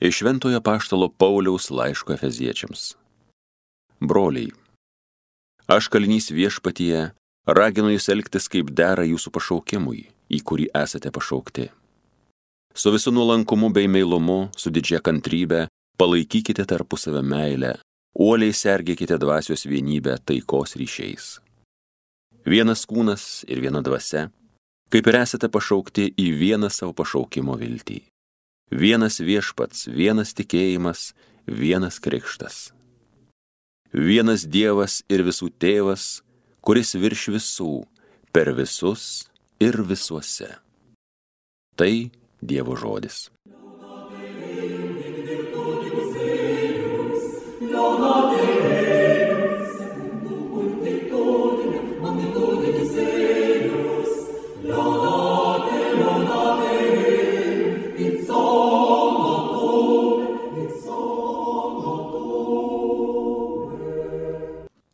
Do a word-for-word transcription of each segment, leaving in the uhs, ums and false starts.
Iš Šventojo Apaštalo Pauliaus laiško Efeziečiams. Broliai, aš kalinys viešpatyje raginu jūs elgtis kaip dera jūsų pašaukimui, į kurį esate pašaukti. Su visu nuolankumu bei meilumu, su didžia kantrybe, palaikykite tarpusavio meilę, uoliai sergėkite dvasios vienybę taikos ryšiais. Vienas kūnas ir viena dvasia, kaip ir esate pašaukti į vieną savo pašaukimo viltį. Vienas viešpats, vienas tikėjimas, vienas krikštas. Vienas Dievas ir visų tėvas, kuris virš visų, per visus ir visuose. Tai Dievo žodis.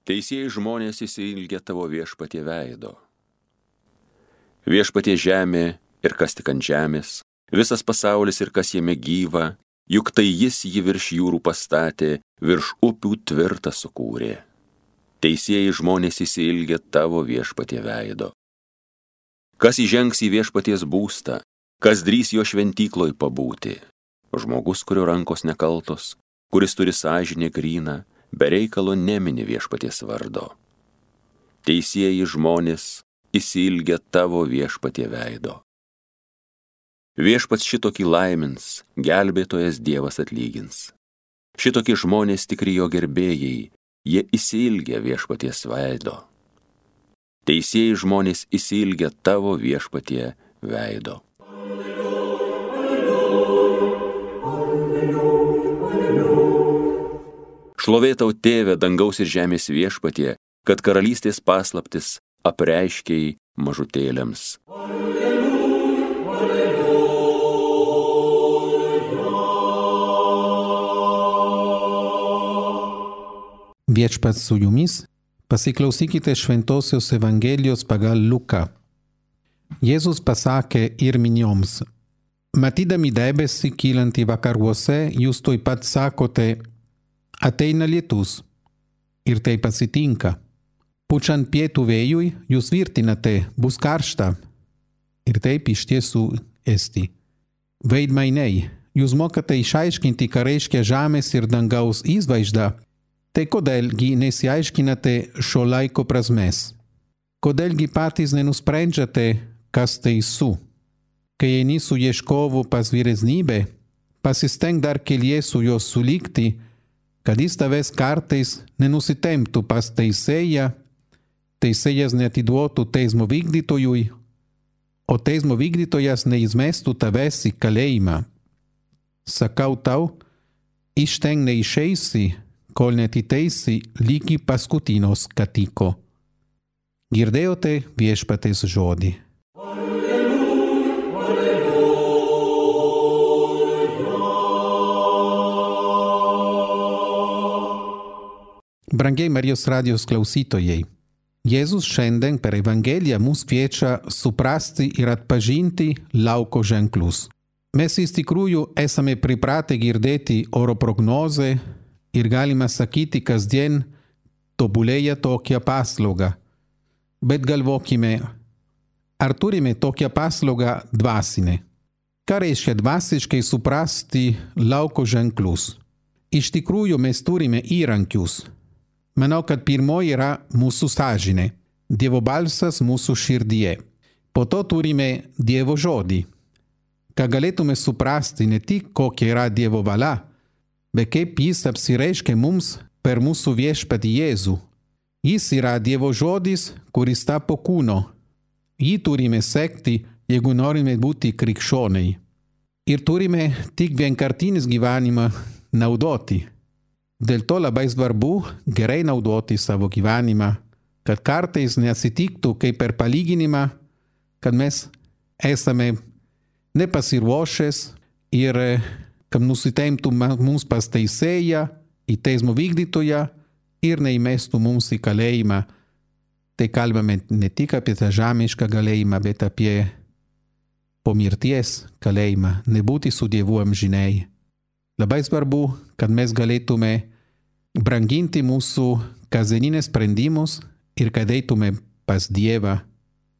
Teisieji žmonės įsiilgia tavo viešpatie veido. Viešpatie žemė ir kas tik ant žemės, visas pasaulis ir kas jame gyva, juk tai jis jį virš jūrų pastatė, virš upių tvirtą sukūrė. Teisieji žmonės įsiilgia tavo viešpatie veido. Kas įžengs į viešpaties būstą, kas drįs jo šventykloj pabūti? Žmogus, kurio rankos nekaltos, kuris turi sąžinę gryną, be reikalo nemini viešpaties vardo. Teisieji žmonės įsiilgia tavo viešpatie veido. Viešpats šitokį laimins, gelbėtojas Dievas atlygins. Šitokį žmonės tikri jo gerbėjai, jie įsiilgia viešpaties veido. Teisieji žmonės įsiilgia tavo viešpatie veido. Šlovė tau, Tėve, dangaus ir žemės viešpatie, kad karalystės paslaptis apreiškei mažutėliams. Viešpats su jumis, pasiklausykite Šventosios Evangelijos pagal Luką. Jėzus pasakė ir minioms: matydami debesį kylantį vakaruose, jūs tuoj pat sakote: ateina lietus, ir taip atsitinka. Pučiant pietų vėjui, jūs tvirtinate: bus karšta, ir taip iš tiesų esti. Veidmainiai, jūs mokate išaiškinti, ką reiškia žemės ir dangaus įvaizdą, tai kodėlgi nesiaiškinate šio laiko prasmės? Kodėlgi patys nenusprendžiate, kas teisu? Kai eini su ieškovu pas vyresnybę, pasistenk dar kelyje su juo sulikti, kad jis tavęs kartais nenusitemptų pas teisėją, teisėjas neatiduotų teismo vykdytojui, o teismo vykdytojas neizmestų tavęs į kalėjimą. Sakau tau, iš ten neišeisi, kol netiteisi lygi paskutinio skatiko. Girdėjote viešpaties žodį. Brangiai Marijos radijos klausytojai, Jėzus šiandien per Evangeliją mus kviečia suprasti ir atpažinti lauko ženklus. Mes iš tikrųjų esame pripratę girdėti oro prognozę ir galime sakyti kasdien tobulėja tokia paslauga. Bet galvokime, ar turime tokią paslaugą dvasinę? Ką reiškia dvasiškai suprasti lauko ženklus? Iš tikrųjų mes turime įrankius. Manau, kad pirmoji yra mūsų sąžinė, Dievo balsas mūsų širdyje. Po to turime Dievo žodį, ką galėtume suprasti ne tik kokia yra Dievo valia, bet kaip jis apsireiškia mums per mūsų viešpatį Jėzų. Jis yra Dievo žodis, kuris tapo kūno. Jį turime sekti, jeigu norime būti krikščioniai. Ir turime tik vienkartinis gyvenimą naudoti. Dėl to labai svarbu gerai naudoti savo gyvenimą, kad kartais neatsitiktų kaip per palyginimą, kad mes esame nepasiruošęs ir kad nusitemptų mums pas teisėją, į teismo vykdytoją ir neįmestų mums į kalėjimą. Tai kalbame ne tik apie tą žemišką kalėjimą, bet apie po mirties kalėjimą, nebūti su Dievu amžinai. Labai svarbu, kad mes galėtume branginti mūsų kasdienines sprendimus ir kad eitume pas Dievą.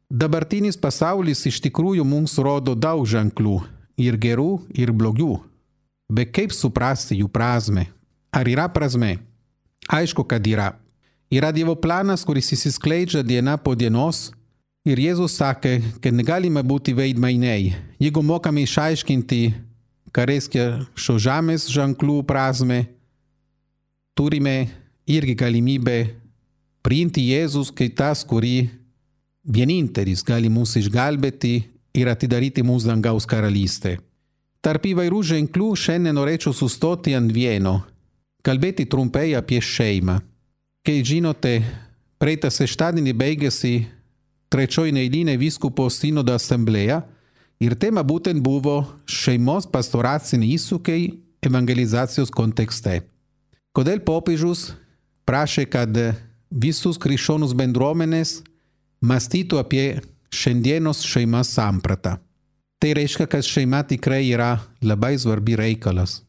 Dabartinis pasaulis iš tikrųjų mums rodo daug ženklų, ir gerų, ir blogių. Bet kaip suprasti jų prasmę? Ar yra prasmė? Aišku, kad yra. Yra Dievo planas, kuris įsiskleidžia diena po dienos, ir Jėzus sakė, kad negalime būti veidmainiai. Jeigu mokame išaiškinti, ką reiškia šio žemės ženklų prasmę, turime irgi galimybę priimti Jėzus kaip tas, kurį vienintelis gali mus išgelbėti ir atidaryti mūsų dangaus karalystę. Tarp įvairių ženklų šiandien norėčiau sustoti ant vieno, kalbėti trumpai apie šeimą. Kaip žinote, praeitą šeštadienį baigėsi trečioji neeilinė vyskupo sinodo asamblėja ir tema būtent buvo šeimos pastoraciniai iššūkiai evangelizacijos kontekste. Kodėl popiežius prašė, kad visus krikščionus bendruomenės mąstytų apie šiandienos šeimos sampratą. Tai reiškia, kad šeima tikrai yra labai svarbi reikalas.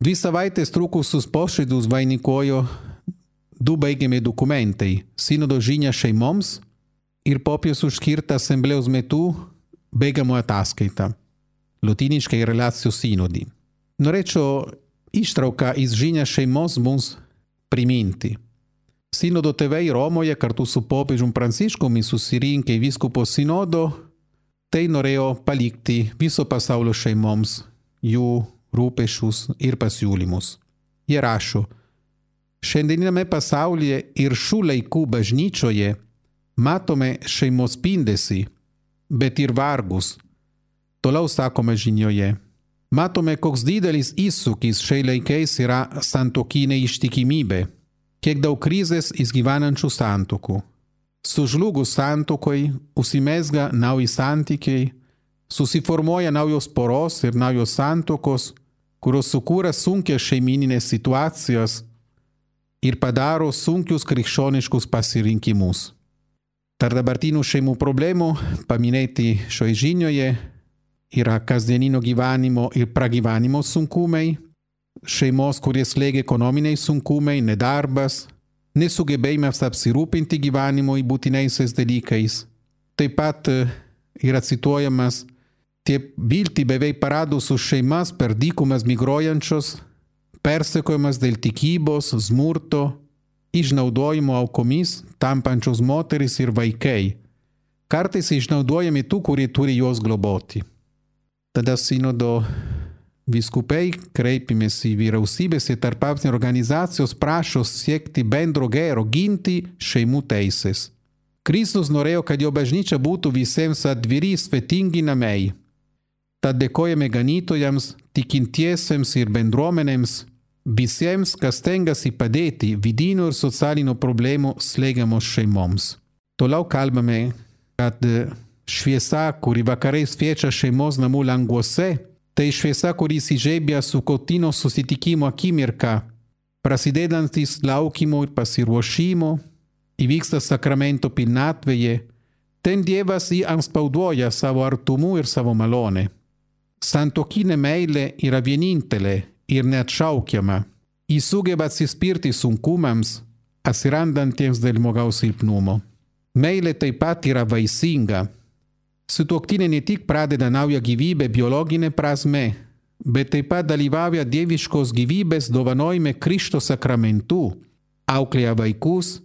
Dvi savaitės trukusius posėdžius vainikojo du baigiami dokumentai – sinodo žinia šeimoms ir popiežiaus skirta asamblėjos metu baigiamoji ataskaita – lotyniškai relacijų sinodį. Norėčiau ištrauką iš žinia šeimos mums priminti. Sinodo tėvai Romoje kartu su popiežiumi Pranciškumi susirinkę į vyskupo sinodo, tai norėjo palikti viso pasaulio šeimoms jų rūpesčius ir pasiūlymus. Jie rašo, šiandieniname pasaulyje ir šių laikų bažnyčioje matome šeimos spindesį, bet ir vargus. Toliau sakome žinioje. Matome, koks didelis iššūkis šiais laikais yra santuokinė ištikimybė, kiek daug krizės išgyvenančių santuokų. Sužlugus santuokoj užsimezga nauji santykiai, susiformuoja naujos poros ir naujos santuokos, kurios sukūrė sunkias šeimininės situacijas ir padaro sunkius krikščioniškus pasirinkimus. Tarp dabartinių šeimų problemų paminėti šioje žinioje yra kasdieninio gyvenimo ir pragyvenimo sunkumai, šeimos, kurie slėgia ekonominiai sunkumai, nedarbas, nesugebėjimas apsirūpinti gyvenimo į būtinaisiais dalykais. Taip pat yra cituojamas tie viltį beveik paradusios šeimas per dykumas migruojančios, persekiojamas dėl tikybos, smurto, išnaudojimo aukomis tampančios moteris ir vaikai, kartais išnaudojami tų, kurie turi juos globoti. Tada sinodo vyskupai kreipimės į vyriausybės ir tarptautinės organizacijos prašo siekti bendro gėrio, ginti šeimų teisės. Kristus norėjo, kad jo bažnyčia būtų visiems atviri, svetingi namai. Tad dėkojame ganytojams, tikintiesiems ir bendruomenėms, visiems, kas stengiasi padėti vidinių ir socialinių problemų slėgiamos šeimoms. Toliau kalbame, kad šviesa, kuri vakarais šviečia šeimos namų languose, tai šviesa, kuri įsižiebia su kotino susitikimo akimirka, prasidedantis laukimo ir pasiruošimo, įvyksta sakramento pilnatvėje, ten Dievas jį anspauduoja savo artumu ir savo malonę. Santuokinė meilė yra vienintelė ir neatšaukiama. Ji sugeba atsispirti sunkumams, atsirandantiems dėl žmogaus silpnumo. Meilė taip pat yra vaisinga. Sutuoktinė ne tik pradeda naują gyvybę biologinė prasme, bet taip pat dalyvauja dieviškos gyvybės dovanojime Krikšto sakramentu, auklėja vaikus,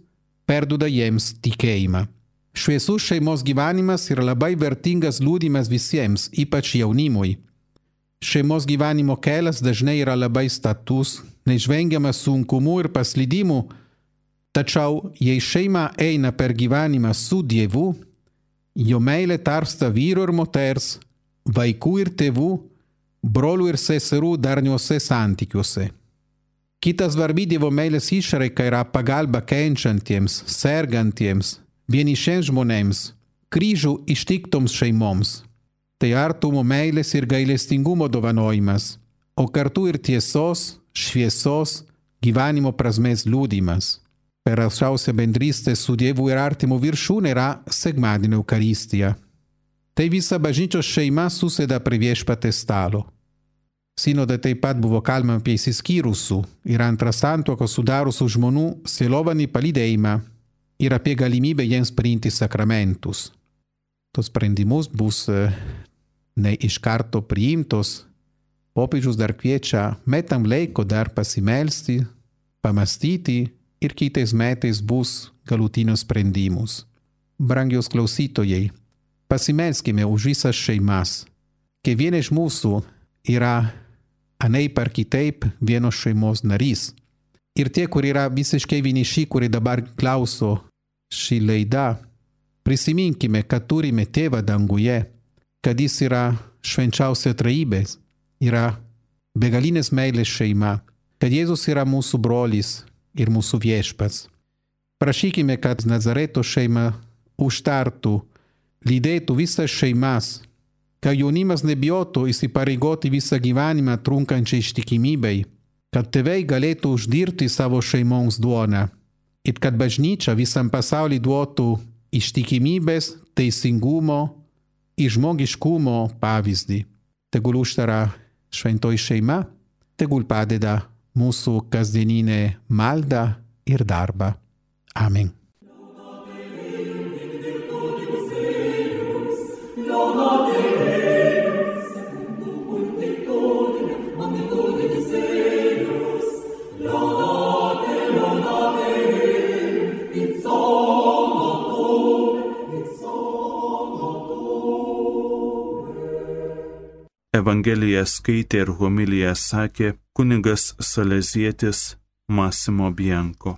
perduoda jiems tikėjimą. Šviesus šeimos gyvenimas yra labai vertingas liudijimas visiems, ypač jaunimui. Šeimos gyvenimo kelias dažnai yra labai status, neišvengiamas sunkumų ir paslydimų, tačiau jei šeima eina per gyvenimą su Dievu, jo meilė tarpsta vyro ir moters, vaikų ir tėvų, brolių ir seserų darniuose santykiuose. Kita svarbi Dievo meilės išraiška yra pagalba kenčiantiems, sergantiems, vienišiems žmonėms, kryžių ištiktoms šeimoms. Tai artumo meilės ir gailestingumo dovanojimas, o kartu ir tiesos, šviesos, gyvenimo prasmės liudijimas. Per aukščiausią bendrystę su Dievu ir artimu viršūnė yra sekmadienio Eukaristija. Tai visa bažnyčios šeima susėda prie viešpaties stalo. Sinode taip pat buvo kalbama apie įsiskyrusių ir antrą santuoką sudariusių žmonių sielovadinį palydėjimą ir apie galimybę jiems priimti sakramentus. Tos sprendimus bus ne iš karto priimtos. Popiežius dar kviečia metam laiko dar pasimelsti, pamastyti ir kitais metais bus galutinius sprendimus. Brangios klausytojai, pasimelskime už visas šeimas. Kiekviena iš mūsų yra anaip ar kitaip vienos šeimos narys. Ir tie, kurie yra visiškai vieniši, kurie dabar klauso šį laidą, prisiminkime, kad turime tėvą danguje, kad jis yra švenčiausia trejybė, yra begalinės meilės šeima, kad Jėzus yra mūsų brolis ir mūsų viešpats. Prašykime, kad Nazareto šeima užtartų, lydėtų visas šeimas, kad jaunimas nebijotų įsipareigoti visą gyvenimą trunkančiai ištikimybei, kad tėvai galėtų uždirbti savo šeimoms duoną ir kad bažnyčia visam pasauliui duotų ištikimybės, teisingumo ir žmogiškumo pavyzdį. Tegul užtara šventoji šeima, tegul padeda mūsų kasdieninė malda ir darba. Amen. Evangeliją skaitė ir homiliją sakė kunigas salezietis Massimo Bianco.